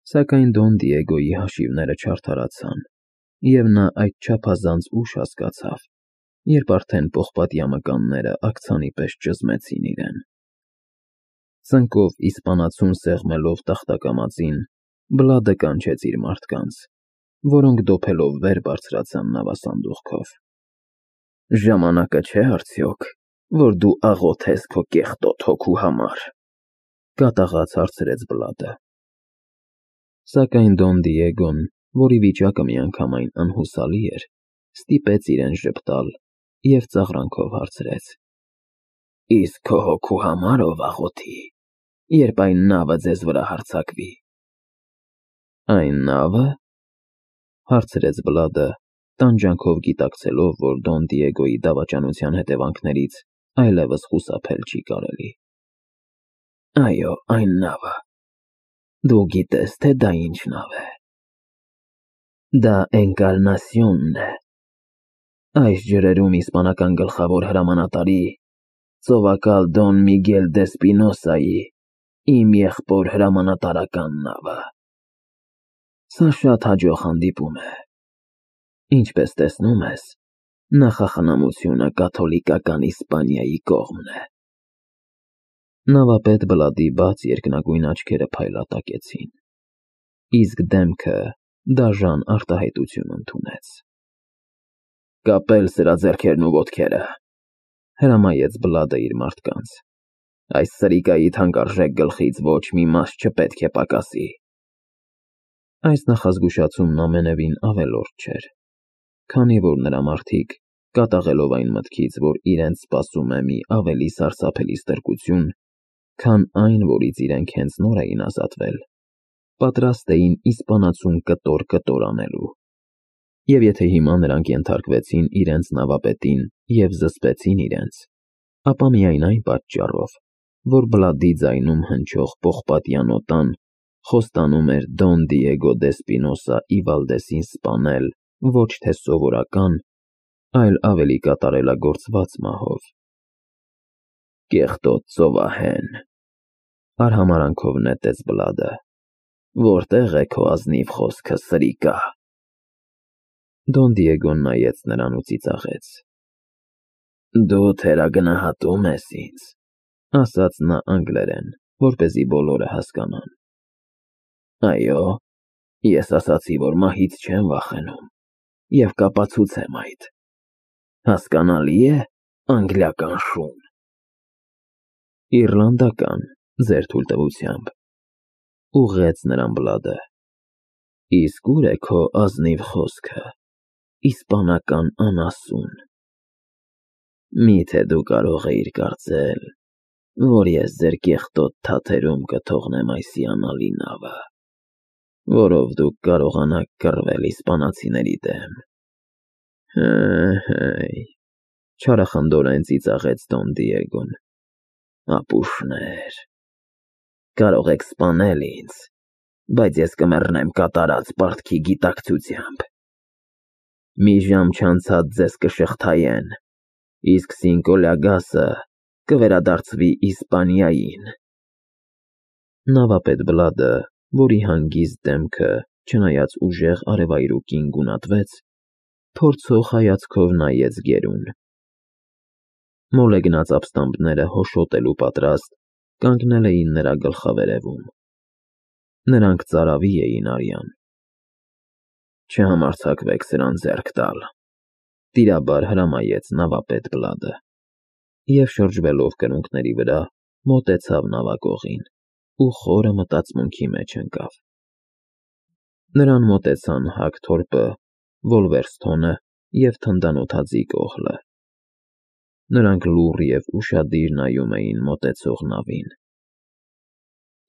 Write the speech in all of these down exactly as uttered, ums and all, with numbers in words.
Սակայն Դոն Դիեգոյի հաշիվները չարդարացան, և նա այդ չափազանց ուշ հասկացավ, երբ արդեն պողպատյա մկանները աքցանի պես ճզմեցին իրեն։ Ծնկով իսպանացուն սեղմելով տախտակամածին, Բլադը կանչեց իր մարդկանց, որոնք դոփելով վեր բարձրացան նավասանդուղքով։ «Ժամանակը չէ՞ արդյոք, որ դու աղոթես քո կեղտոտ հոգու համար,֊ կատաղած հարցրեց Բլադը։ Սակայն Դոն Դիեգոն, որի վիճակը միանգամայն անհուսալի էր, ստիպեց իրեն ժպտալ և ծաղրանքով հարցրեց. «Իսկ քո հոգու համար ով աղոթի, երբ այն նավը ձեզ վրա հարձակվի»։ «Այն նավը,֊ հարցրեց Բլադը, տանջանքով գիտակցելով, որ Դոն Դիեգոյի դավաճանության հետևանքներից այլևս խուսափել չի կարելի։ Այո, այն նավը։ Դու գիտես, թե դա ինչ նավ է։ Դա Էնկարնասիոնն է, այս ջրերում իսպանական գլխավոր հրամանատարի, ծովակալ Դոն Միգել դե Սպինոսայի, իմ եղբոր հրամանատարական նավը։ Սա շատ հաջող հանդիպում է։ Ինչպես տեսնում ես, նախախնամությունը կաթոլիկական Իսպանիայի կողմն է»։ Նավապետ Բլադի բաց երկնագույն աչքերը փայլատակեցին, իսկ դեմքը դաժան արտահայտություն ընդունեց։ «Կապել սրաձեռքերն ու ոտքերը,֊ հրամայեց Բլադը իր մարդկանց,֊ այս սրիկայի թանկարժեք գլխից ոչ մի մաս չպետք է պակասի»։ Այս նախազգուշացումն ամենևին ավելորդ չէր, քանի որ նրա մարդիկ, կատաղելով այն մտքից, որ իրենց սպասում է մի ավելի սարսափելի ստրկություն, քան այն, որից իրենք հենց նոր էին ազատվել, պատրաստ էին իսպանացուն կտոր֊կտոր անելու։ Եվ եթե հիմա նրանք ենթարկվեցին իրենց նավապետին և զսպեցին իրենց, ապա միայն այն պատճառով, որ Բլադի ձայնում հնչող պողպատյա նոտան խոստանում էր Դոն Դիեգո դե Սպինոսա ի Վալդեսին սպանել ոչ թե սովորական, այլ ավելի կատարելագործված մահով։ «Կեղտոտ ծովահեն,֊ արհամարհանքով նետեց Բլադը,֊ որտե՞ղ է քո ազնիվ խոսքը, սրիկա»։ Դոն Դիեգոն նայեց նրան ու ծիծաղեց։ «Դու թերագնահատում ես ինձ,֊ ասաց նա անգլերեն, որպեսզի բոլորը հասկանան։ Այո, ես ասացի, որ մահից չեմ վախենում, և կապացուցեմ այդ։ Հասկանալի՞ է, անգլիական շուն։ Իռլանդական, ձեր թույլտվությամբ,֊ ուղղեց նրան Բլադը։ Իսկ ուր է քո ազնիվ խոսքը, իսպանական անասուն։ Մի՞թե դու կարող էիր կարծել, որ ես ձեր կեղտոտ թաթերում կթողնեմ այս հիանալի նավը, որով դուք կարողանաք կռվել իսպանացիների դեմ։ Հը՛֊հը՛յ,֊ չարախնդորեն ծիծաղեց Դոն Դիեգոն,֊ ապուշներ, կարող եք սպանել ինձ, բայց ես կմեռնեմ կատարած պարտքի գիտակցությամբ։ Մի ժամ չանցած ձեզ կշղթայեն, իսկ Սինկո Լյագասը կվերադարձվի Իսպանիային։ Նավապետ Բլադը, որի հանգիստ դեմքը, չնայած ուժեղ արևայրուկին, գունատվեց, փորձող հայացքով նայեց գերուն։ Մոլեգնած ապստամբները հոշոտելու պատրաստ կանգնել էին նրա գլխավերևում։ Նրանք ծարավի էին արյան։ «Չհամարձակվեք սրան ձեռք տալ,֊ տիրաբար հրամայեց նավապետ Բլադը, և շրջվելով կրունկների վրա, մոտեցավ նավակողին ու խորը մտածմունքի մեջ ընկավ։ Նրան մոտեցան Հագթորպը, Վոլվերսթոնը և թնդանոթաձիգ Օհլը։ Նրանք լուռ և ուշադիր նայում էին մոտեցող նավին։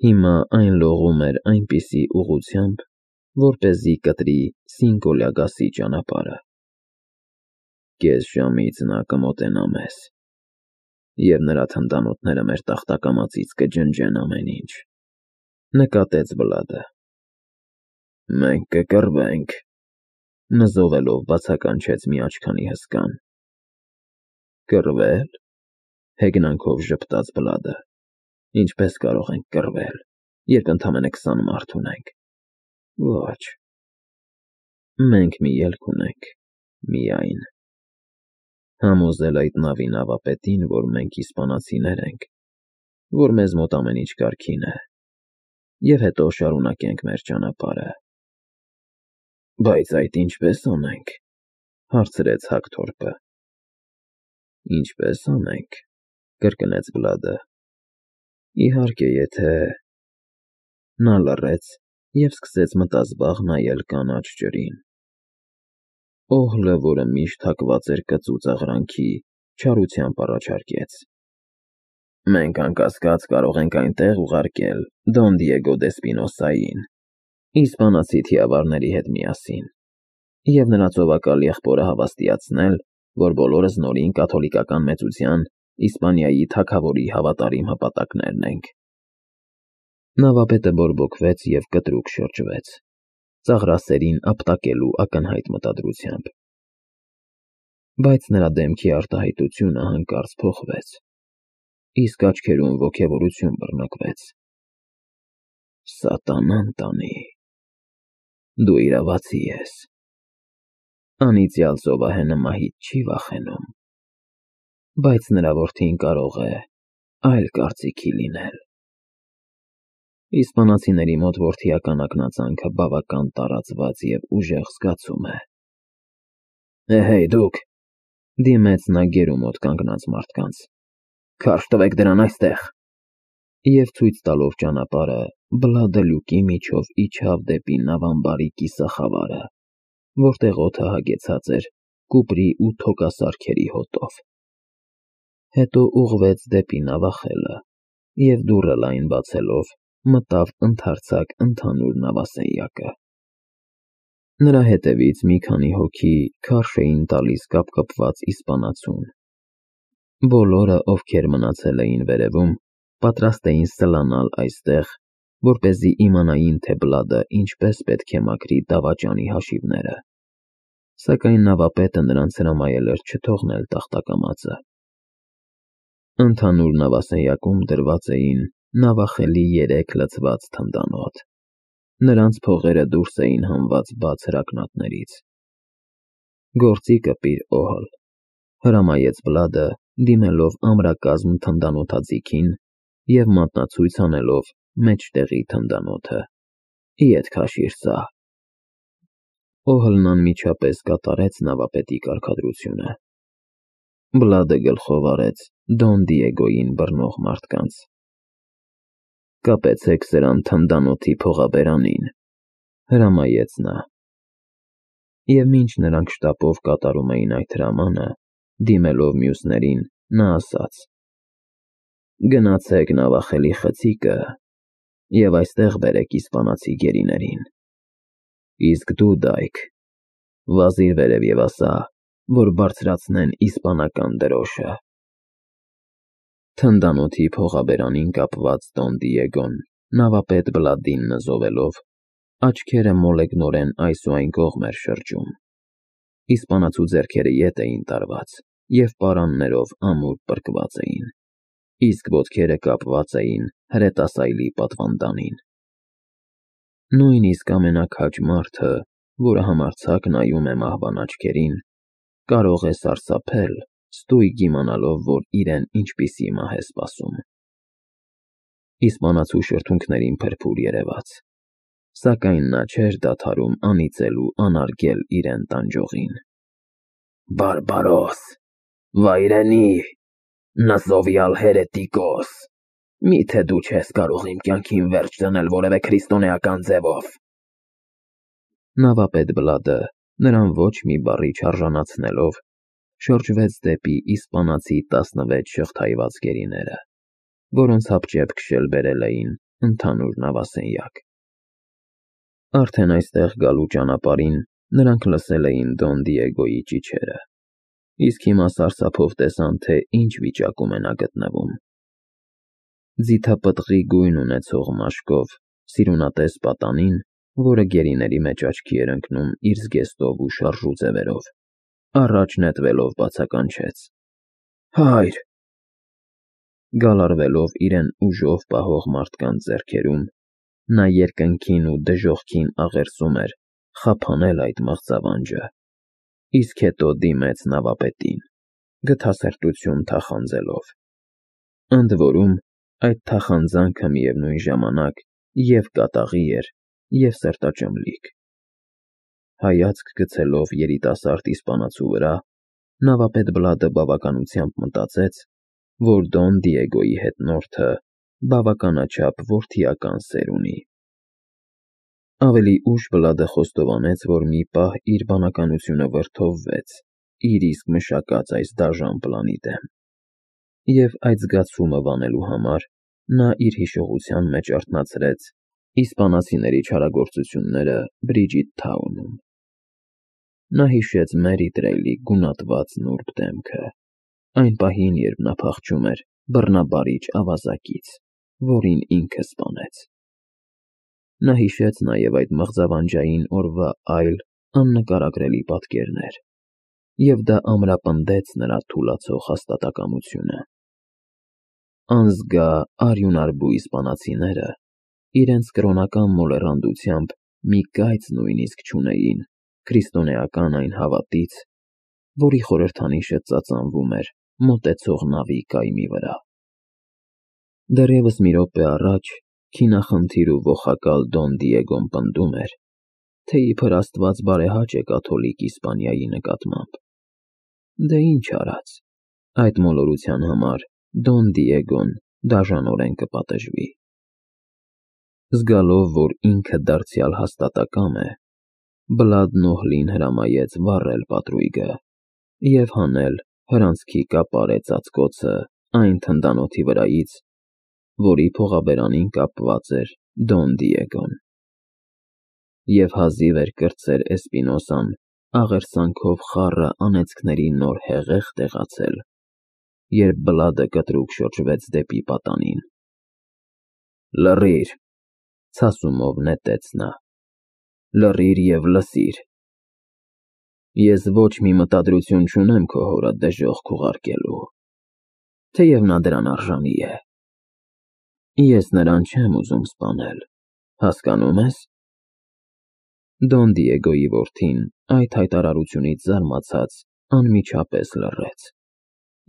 Հիմա այն լողում էր այնպիսի ուղղությամբ, որպեսզի կտրի Սինկո Լյագասի ճանապարհը։ Կես ժամից նա կմոտենա մեզ, և նրա թնդանոթները մեր տախտակամածից կջնջեն ամեն ինչ,֊ նկատեց Բլադը։ Մենք կկռվենք,֊ նզովելով բացականչեց մի աչքանի հսկան։ Կռվե՞լ,֊ հեգնանքով ժպտաց Բլադը։ Ինչպես կարող ենք կռվել, երբ ընդամենը քսան մարդ ունենք։ Ոչ։ Մենք մի ելք ունենք, միայն համոզել այդ նավի նավապետին, որ մենք իսպանացիներ ենք, որ մեզ մոտ ամեն ինչ կարգին է, և հետո շարունակենք մեր ճանապարհը։ Բայց այդ ինչպես անենք, հարցրեց Հակթորպը։ Ինչպես անենք, կրկնեց Բլադը։ Իհարկե, եթե… Նա լռեց և սկսեց մտազբաղ նայել կանաչ ջրին։ Օհլը, որը միշտ հակված էր կծու ծաղրանքի, չարությամբ առաջարկեց. Մենք անկասկած կարող ենք այնտեղ ուղարկել Դոն Դիեգո դե Սպինոսային, իսպանացի թիավարների հետ միասին, և նրա ծովակալ եղբորը հավաստիացնել, որ բոլորս նորին կաթոլիկական մեծության Իսպանիայի թագավորի հավատարիմ հպատակներն ենք։ Նավապետը բորբոքվեց և կտրուկ շրջվեց, ծաղրասերին ապտակելու ակնհայտ մտադրությամբ։ Բայց նրա դեմքի արտահայտությունը հանկարծ փոխվեց, իսկ աչքերում ոգևորություն բռնկվեց։ Սատանան տանի, դու իրավացի ես։ Անիծյալ ծովահենը մահից չի վախենում, բայց նրա որդին կարող է այլ կարծիքի լինել։ Իսպանացիների մոտ որդիական ակնածանքը բավական տարածված և ուժեղ զգացում է։ Էհեյ, դուք, դիմեց նա գերու մոտ կանգնած մարդկանց, քարշ տվեք դրան այստեղ։ Եվ ցույց տալով ճանապարհը, Բլադը լյուկի միջով իջավ դեպի նավամբարի կիսախավարը, որտեղ օդը հագեցած էր կուպրի ու թոկասարքերի հոտով։ Հետո ուղղվեց դեպի նավախելը և դուռը լայն բացելով մտավ ընդարձակ ընդհանուր նավասենյակը։ Նրա հետևից մի քանի հոգի քարշ էին տալիս կապկպված իսպանացուն։ Բոլորը, ովքեր մնացել էին վերևում, պատրաստ էին սլանալ այստեղ, որպեսզի իմանային, թե Բլադը ինչպես պետք է մաքրի դավաճանի հաշիվները, սակայն նավապետը նրանց հրամայել էր չթողնել տախտակամածը։ Ընդհանուր նավասենյակում դրված էին նավախելի երեք լցված թնդանոթ։ Նրանց փողերը դուրս էին հանված բաց հրակնատներից։ Գործի կպիր, Օհլ, հրամայեց Բլադը, դիմելով ամրակազմ թնդանոթաձիգին և մատնացույց անելով մեջտեղի թնդանոթը։ Ետ քաշիր սա։ Օհլն անմիջապես կատարեց նավապետի կարգադրությունը։ Բլադը գլխով արեց Դոն Դիեգոյին բռնող մարդկանց։ Կապեցեք սրան թնդանոթի փողաբերանին, հրամայեց նա։ Եվ մինչ նրանք շտապով կատարում էին այդ հրամանը, դիմելով մյուսներին, նա ասաց. Գնացեք նավախելի խցիկը և այստեղ բերեք իսպանացի գերիներին։ Իսկ դու, Դայք, վազիր վերև և ասա, որ բարձրացնեն իսպանական դրոշը։ Թնդանոթի փողաբերանին կապված Դոն Դիեգոն, նավապետ Բլադին նզովելով, աչքերը մոլեգնորեն այս ու այն կողմ էր շրջում։ Իսպանացու ձեռքերը ետ էին տարված և պարաններով ամուր պրկված էին, իսկ ոտքերը կապված էին հրետասայլի պատվանդանին։ Նույնիսկ ամենաքաջ մարդը, որը համարձակ նայում է մահվան աչքերին, կարող է սարսափել, ստույգ իմանալով, որ իրեն ինչպիսի մահ է սպասում։ Իսպանացու շրթունքներին փրփուր երևաց, սակայն նա չէր դադարում անիծել ու անարգել իրեն տանջողին։ Բարբարոս, վայրենի, նզովյալ հերետիկոս, միթե դու չես կարող իմ կյանքին վերջ դնել որևէ քրիստոնեական ձևով։ Նավապետ Բլադը, նրան ոչ մի բառի չարժանացնելով, շրջվեց դեպի իսպանացի տասնվեց շղթայված գերիները, որոնց հապճեպ քշել բերել էին ընդհանուր նավասենյակ։ Արդեն այստեղ գալու ճանապարհին նրանք լսել էին Դոն Դիեգոյի ճիչերը, իսկ հիմա սարսափով տեսան, թե ինչ վիճակում է նա գտնվում։ Ձիթապտղի գույն ունեցող մաշկով, սիրունատես պատանին, որը գերիների մեջ աչքի էր ընկնում իր զգեստով ու շարժու ձևերով, առաջ նետվելով բացականչեց. Հայր… Գալարվելով իրեն ուժով պահող մարդկանց ձեռքերում, Նա երկնքին ու դժոխքին աղերսում էր խափանել այդ մղձավանջը, իսկ հետո դիմեց նավապետին, գթասրտություն թախանձելով։ Ընդ որում, այդ թախանձանքը միևնույն ժամանակ և կատաղի էր, և սրտաճմլիկ։ Հայացք գցելով երիտասարդ իսպանացու վրա, նավապետ Բլադը բավականությամբ մտածեց, որ Դոն Դիեգոյի հետնորդը բավականաչափ որդիական սեր ունի։ Ավելի ուշ Բլադը խոստովանեց, որ մի պահ իր բանականությունը վրդովվեց իր իսկ մշակած այս դաժան պլանի դեմ, և այդ զգացումը վանելու համար նա իր հիշողության մեջ արթնացրեց իսպանացիների չարագործությունները Բրիջիթ Թաունում։ Նա հիշեց Մերի Տրեյլի գունատված նուրբ դեմքը, այն պահին, երբ նա փախչում էր բռնաբարիչ ավազակից, որին ինքը սպանեց։ Նա հիշեց նաև այդ մղձավանջային օրվա այլ աննկարագրելի պատկերներ, և դա ամրապնդեց նրա թուլացող հաստատակամությունը։ Անզգա արյունարբու իսպանացիները իրենց կրոնական մոլեռանդությամբ մի կայծ նույնիսկ չունեին քրիստոնեական այն հավատից, որի խորհրդանիշը ծածանվում էր մոտեցող նավի կայմի վրա։ Դեռևս մի րոպե առաջ քինախնդիր ու ոխակալ Դոն Դիեգոն պնդում էր, թե իբր Աստված բարեհաճ է կաթոլիկ Իսպանիայի նկատմամբ։ Դե ինչ արած, այդ մոլորության համար Դոն Դիեգոն դաժանորեն կպատժվի։ Զգալով, որ ինքը դարձյալ հաստատակամ է, Բլադն Օհլին հրամայեց վառել պատրույգը և հանել հրանցքի կապարե ծածկոցը այն թնդանոթի վրայից, որի փողաբերանին կապված էր Դոն Դիեգոն, և հազիվ էր կրտսեր Էսպինոսան աղերսանքով խառը անեծքների նոր հեղեղ տեղացել, երբ Բլադը կտրուկ շրջվեց դեպի պատանին։ «Լռիր», ցասումով նետեց նա, «լռիր և լսիր։ Ես ոչ մի մտադրություն չունեմ քո հորը դժոխք ուղարկելու, թեև նա դրան արժանի է։ Ես նրան չեմ ուզում սպանել, հասկանո՞ւմ ես»։ Դոն Դիեգոյի որդին այդ հայտարարությունից զարմացած անմիջապես լռեց,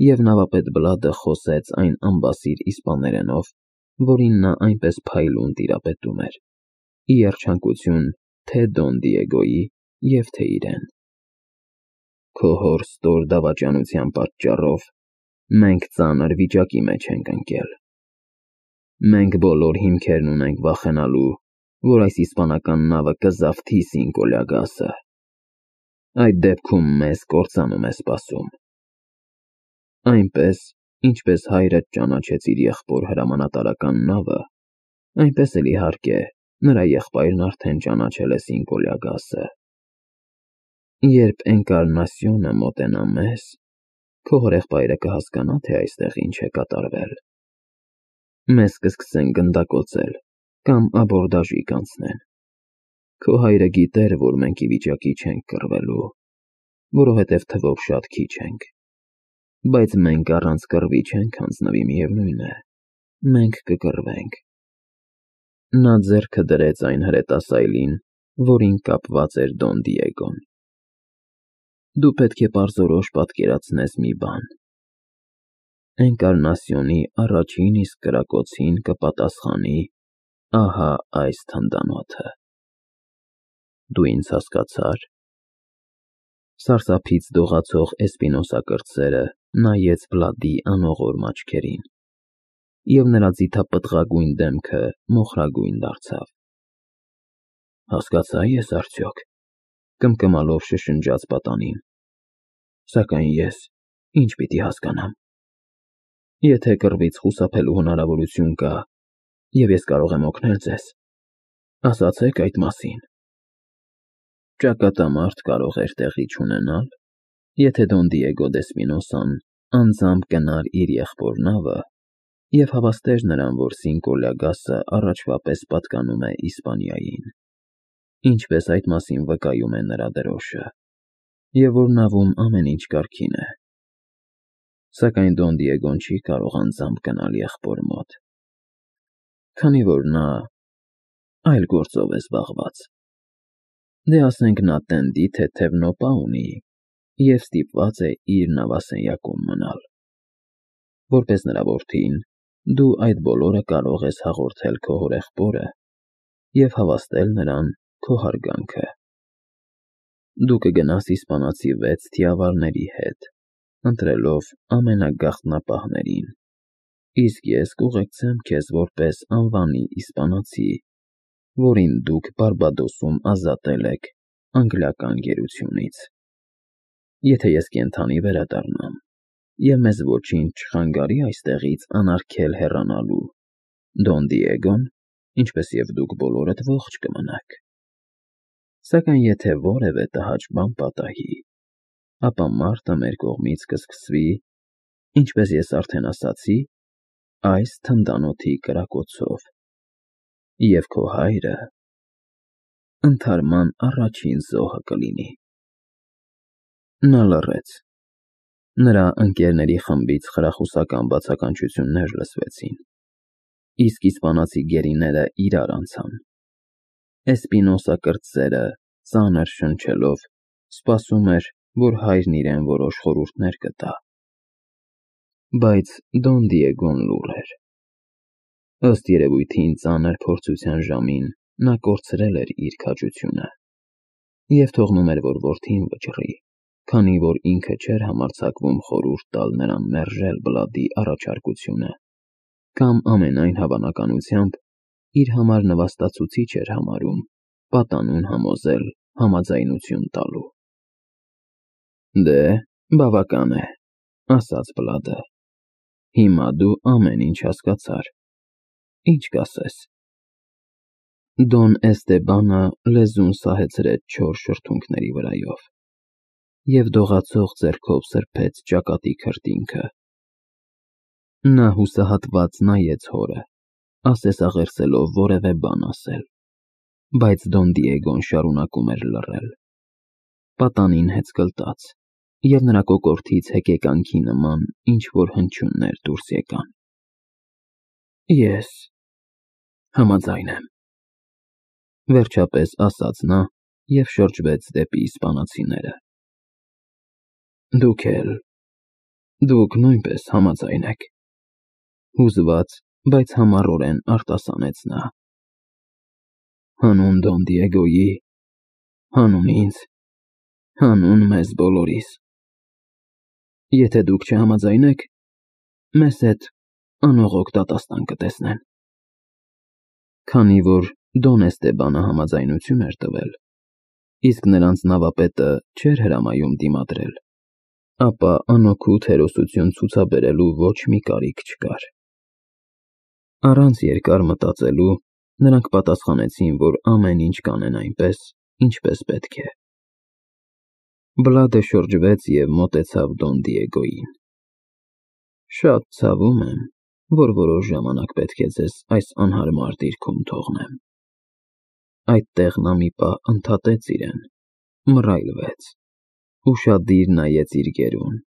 և նավապետ Բլադը խոսեց այն անբասիր իսպաներենով, որին նա այնպես փայլուն տիրապետում էր, ի երջանկություն թե Դոն Դիեգոյի և թե իրեն։ «Քո հոր ստոր դավաճանության պատճառով մենք ծանր վիճակի մեջ ենք ընկել։ Մենք բոլոր հիմքերն ունենք վախենալու, որ այս իսպանական նավը կզավթի Սինկոլյագասը։ Այդ դեպքում մեզ կործանում է սպասում։ Այնպես, ինչպես հայրդ ճանաչեց իր եղբոր հրամանատարական նավը, այնպես էլ, իհարկե, նրա եղբայրն արդեն ճանաչել է Սինկոլյագասը։ Երբ Էնկարնասիոնը մոտենա մեզ, քո հորեղբայրը կհասկանա, թե այստեղ ինչ է կատարվել։ Մեզ կսկսեն գնդակոծել կամ աբորդաժի կանցնեն։ Քո հայրը գիտեր, որ մենք ի վիճակի չենք կռվելու, որովհետև թվով շատ քիչ ենք, բայց մենք առանց կռվի չենք հանձնվի, միևնույն է, մենք կկռվենք։ Նա ձեռքը դրեց այն հրետանասայլին, որին կապված էր Դոն Դիեգոն։ Դու պետք է պարզորոշ պատկերացնես մի բան. Էնկարնասիոնի առաջին իսկ կրակոցին կպատասխանի ահա այս թնդանոթը։ Դու ինձ հասկացա՞ր։ Սարսափից դողացող էսպինոսակրտսերը նայեց Բլադի անողորմ աչքերին, և նրա ձիթապտղագույն դեմքը մոխրագույն դարձավ։ Հասկացա՞ ես արդյոք, կմկմալով շշնջաց պատանին, սակայն ես ի՞նչ պիտի հասկանամ։ Եթե կռվից խուսափելու հնարավորություն կա, և ես կարող եմ օգնել ձեզ, ասացեք այդ մասին։ Ճակատամարտ կարող էր տեղի չունենալ, եթե Դոն Դիեգո դե Սպինոսան անձամբ գնար իր եղբոր նավը և հավաստեր նրան, որ Սինկոլյագասը առաջվա պես պատկանում է Իսպանիային, ինչպես այդ մասին վկայում է նրա դրոշը, և որ նավում ամեն ինչ կարգին է։ Սակայն Դոն Դիեգոն չի կարող անձամբ գնալ եղբոր մոտ, քանի որ նա այլ գործով է զբաղված։ Դե ասենք նա տենդի թեթև նոպա ունի և ստիպված է իր նավասենյակում մնալ։ Որպես նրա որդին, դու այդ բոլորը կարող ես հաղորդել քո հորեղբորը և հավաստել նրան քո հարգանքը։ Դու կգնաս իսպանացի վեց թիավարների հետ, ընտրելով ամենագաղտնապահներին, իսկ ես կուղեկցեմ քեզ որպես անվանի իսպանացի, որին դուք Բարբադոսում ազատել եք անգլիական գերությունից։ Եթե ես կենդանի վերադառնամ, և մեզ ոչինչ չխանգարի այստեղից անարգել հեռանալու, Դոն Դիեգոն, ինչպես և դուք բոլորդ ողջ կմնաք։ Սակայն եթե որևէ տհաճ բան պատահի, ապա մարտը մեր կողմից կսկսվի, ինչպես ես արդեն ասացի, այս թնդանոթի կրակոցով, և քո հայրը ընդհարման առաջին զոհը կլինի։ Նա լռեց։ Նրա ընկերների խմբից խրախուսական բացականչություններ լսվեցին, իսկ իսպանացի գերիները իրար անցան։ Էսպինոսը կրտսերը, ծանր շնչելով, սպասում էր, որ հայրն իրեն որոշ խորհուրդներ կտա։ Բայց Դոն Դիեգոն լուռ էր։ Ըստ երևույթին ծանր փորձության ժամին նա կորցրել էր իր քաջությունը և թողնում էր, որ որդին վճռի, քանի որ ինքը չէր համարձակվում խորհուրդ տալ նրան մերժել Բլադի առաջարկությունը կամ ամենայն հավանականությամբ իր համար նվաստացուցիչ էր համարում պատանուն համոզել համաձայնություն տալու։ Դե, բավական է, ասաց Բլադը, հիմա դու ամեն ինչ հասկացար, ինչ կասես։ Դոն Էստեբանը լեզուն սահեցրեց չոր շրթունքների վրայով և դողացող ձեռքով սրբեց ճակատի քրտինքը։ Նա հուսահատված նայեց հորը, ասեսաղերսելով որևէ բան ասել, բայց Դոն Դիեգոն շարունակում էր լռել։ Պատանին հեծկլտաց, և նրա կոկորդից հեկեկանքի նման ինչ-որ հնչյուններ դուրս եկան։ Ես համաձայն եմ, վերջապես ասաց նա և շրջվեց դեպի իսպանացիները։ Դուք էլ, դուք նույնպես համաձայն եք, հուզված, բայց համառորեն արտասանեց նա։ Հանուն Դոն Դիեգոյի, հանուն ինձ, հանուն մեզ բոլորիս։ Եթե դուք չհամաձայնեք, մեզ հետ անողոք դատաստան կտեսնեն։ Քանի որ Դոն Էստեբանը համաձայնություն էր տվել, իսկ նրանց նավապետը չէր հրամայում դիմադրել, ապա անօգուտ հերոսություն ցուցաբերելու ոչ մի կարիք չկար։ Առանց երկար մտածելու նրանք պատասխանեցին, որ ամեն ինչ կանեն այնպես, ինչպես պետք է։ Բլադը շրջվեց և մոտեցավ Դոն Դիեգոյին։ Շատ ցավում եմ, որ որոշ ժամանակ պետք է ձեզ այս անհարմար դիրքում թողնեմ։ Այդտեղ նա մի պահ ընդհատեց իրեն, մռայլվեց, ուշադիր նայեց իր գերուն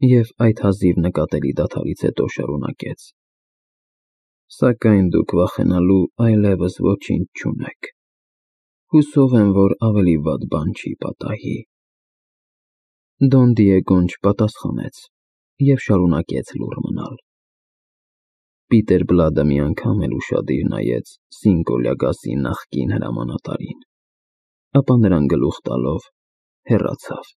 և այդ հազիվ նկատելի դադարից հետո շարունակեց. Սակայն դուք վախենալու այլևս ոչինչ չունեք։ Հուսով եմ, որ ավելի վատ բան չի պատահի։ Դոն Դիեգոն չպատասխանեց և շարունակեց լուռ մնալ։ Պիտեր Բլադը մի անգամ էլ ուշադիր նայեց Սինկո Լյագասի նախկին հրամանատարին, ապա նրան գլուխ տալով հեռացավ։